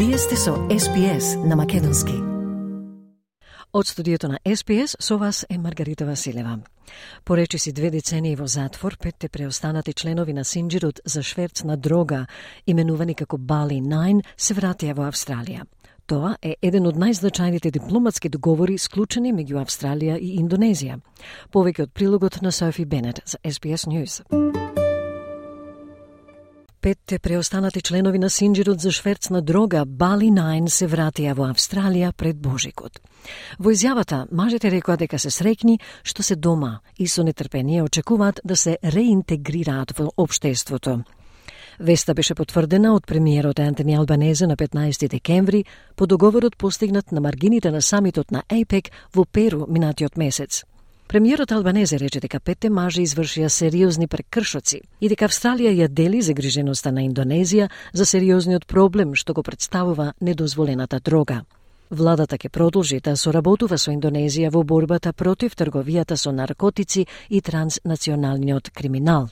Вие сте со SPS на македонски. Од студиото на SPS со вас е Маргарита Василева. Поречиси 2 децении во затвор, 5 преостанати членови на синџирот за шверц на дрога, именувани како Bali 9, се вратија во Австралија. Тоа е еден од најзначајните дипломатски договори склучени меѓу Австралија и Индонезија. Повеќе од прилогот на Софи Бенет за SPS News. 5 преостанати членови на синџирот за шверц на дрога Bali 9 се вратија во Австралија пред Божикот. Во изјавата, мажите рекоа дека се среќни што се дома и со нетрпение очекуваат да се реинтегрираат во општеството. Веста беше потврдена од премиерот Антони Албанезе на 15 декември по договорот постигнат на маргините на самитот на АПЕК во Перу минатиот месец. Премиерот Албанезе рече дека 5 мажи извршија сериозни прекршоци и дека Австралија ја дели загриженоста на Индонезија за сериозниот проблем што го представува недозволената дрога. Владата ќе продолжи да соработува со Индонезија во борбата против трговијата со наркотици и транснационалниот криминал.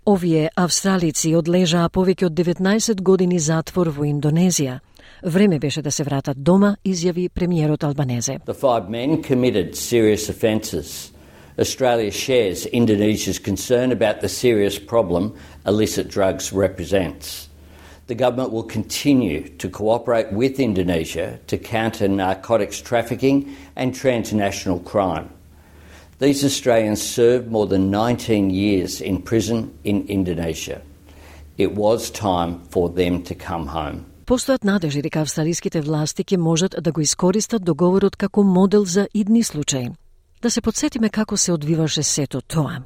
Овие австралици одлежаа повеќе од 19 години затвор во Индонезија. Време беше да се вратат дома, изјави премиерот Албанезе. The 5 men committed serious offences. Australia shares Indonesia's concern about the serious problem illicit drugs represents. The government will continue to cooperate with Indonesia to counter narcotics trafficking and transnational crime. These Australians served more than 19 years in prison in Indonesia. It was time for them to come home. Постојат надежи дека австралиските власти ќе можат да го искористат договорот како модел за идни случаи. Да се подсетиме како се одвиваше сето тоа.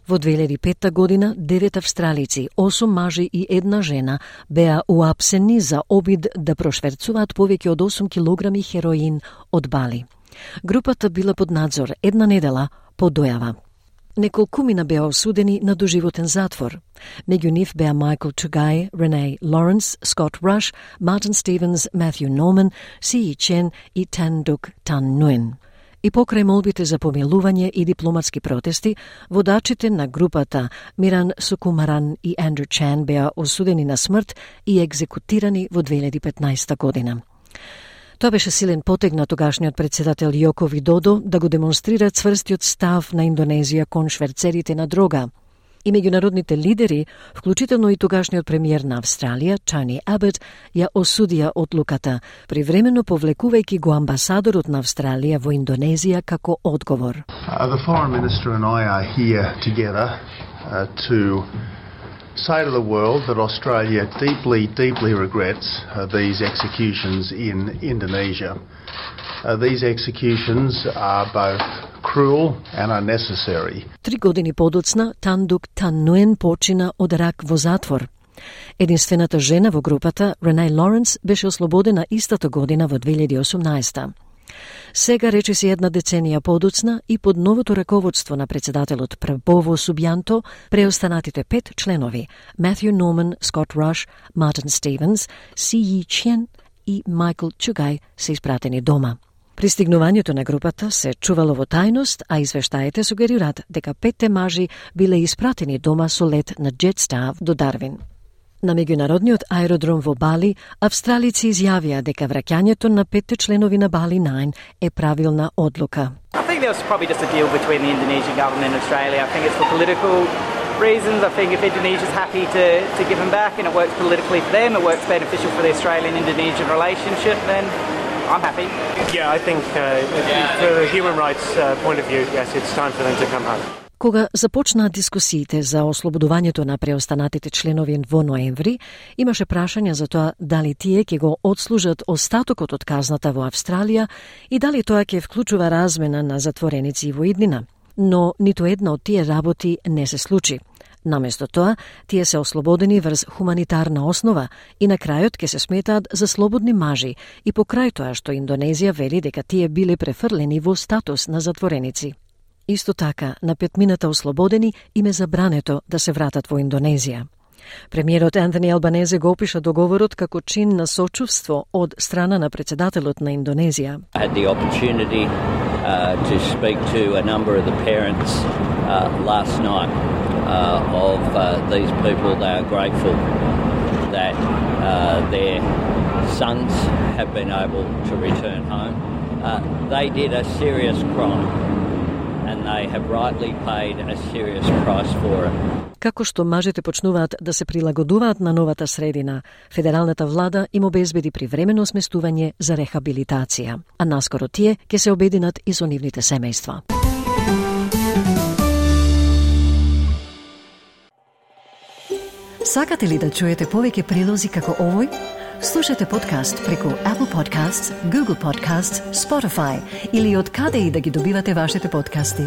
Во 2005 година 9 австралици, 8 мажи и 1 жена беа уапсени за обид да прошверцуваат повеќе од 8 килограми хероин од Бали. Групата била под надзор една недела по дојава. Неколкумина беа осудени на доживотен затвор. Меѓу нив беа Майкл Чугај, Рене Лоренс, Скот Раш, Мартин Стивенс, Матју Норман, Си Чен и Тандук Тан Нуен. И покрај молбите за помилување и дипломатски протести, водачите на групата Миран Сукумаран и Андрю Чан беа осудени на смрт и екзекутирани во 2015 година. Тоа беше силен потег на тогашниот председател Јоко Видодо да го демонстрира цврстиот став на Индонезија кон шверцерите на дрога. И меѓународните лидери, вклучително и тогашниот премиер на Австралија, Тони Абот, ја осудија одлуката, привремено повлекувајќи го амбасадорот на Австралија во Индонезија како одговор. The foreign minister and I are here together to say to the world that Australia deeply regrets these executions in Indonesia. These executions are both cruel and unnecessary. 3 години подоцна Тандук Тан Нуен почина од рак во затвор. Единствената жена во групата, Рене Лоренс, беше ослободена истата година во 2018. Сега, речиси една деценија подоцна и под новото раководство на председателот Прабово Субјанто, преостанатите 5 членови, Матју Норман, Скот Раш, Мартин Стивенс, Си Чен и Майкл Чугај се испратени дома. Пристигнувањето на групата се чувало во тајност, а извештаите сугерираат дека 5 мажи биле испратени дома со лет на Джетстар до Дарвин. На меѓународниот аеродром во Бали, австралици изјавија дека враќањето на 5 членови на Bali 9 е правилна одлука. I think there was probably just a deal between the Indonesian government and Australia. I think it's for political reasons. I think if Indonesia's happy to give them back and it works politically for them, it works beneficial for the Australian-Indonesian relationship, then I'm happy. Yeah, I think for the human rights point of view, yes, it's time for them to come home. Кога започнаа дискусиите за ослободувањето на преостанатите членови во ноември, имаше прашања за тоа дали тие ќе го отслужат остатокот од казната во Австралија и дали тоа ќе вклучува размена на затвореници во иднина. Но ниту една од тие работи не се случи. Наместо тоа, тие се ослободени врз хуманитарна основа и на крајот ќе се сметаат за слободни мажи и покрај тоа што Индонезија вели дека тие биле префрлени во статус на затвореници. Исто така, на 5 мината ослободени им е забрането да се вратат во Индонезија. Премиерот Антони Албанезе го опиша договорот како чин на сочувство од страна на председателот на Индонезија. I had the opportunity to speak to a number of the parents last night of these people. They are grateful that their sons have been able to return home. They did a serious crime and they have rightly paid a serious price for it. Како што мажите почнуваат да се прилагодуваат на новата средина, федералната влада им обезбеди привремено сместување за рехабилитација, а наскоро тие ќе се обединат и со нивните семејства. Сакате ли да чуете повеќе прилози како овој? Слушате подкаст преку Apple Podcasts, Google Podcasts, Spotify или од каде и да ги добивате вашите подкасти.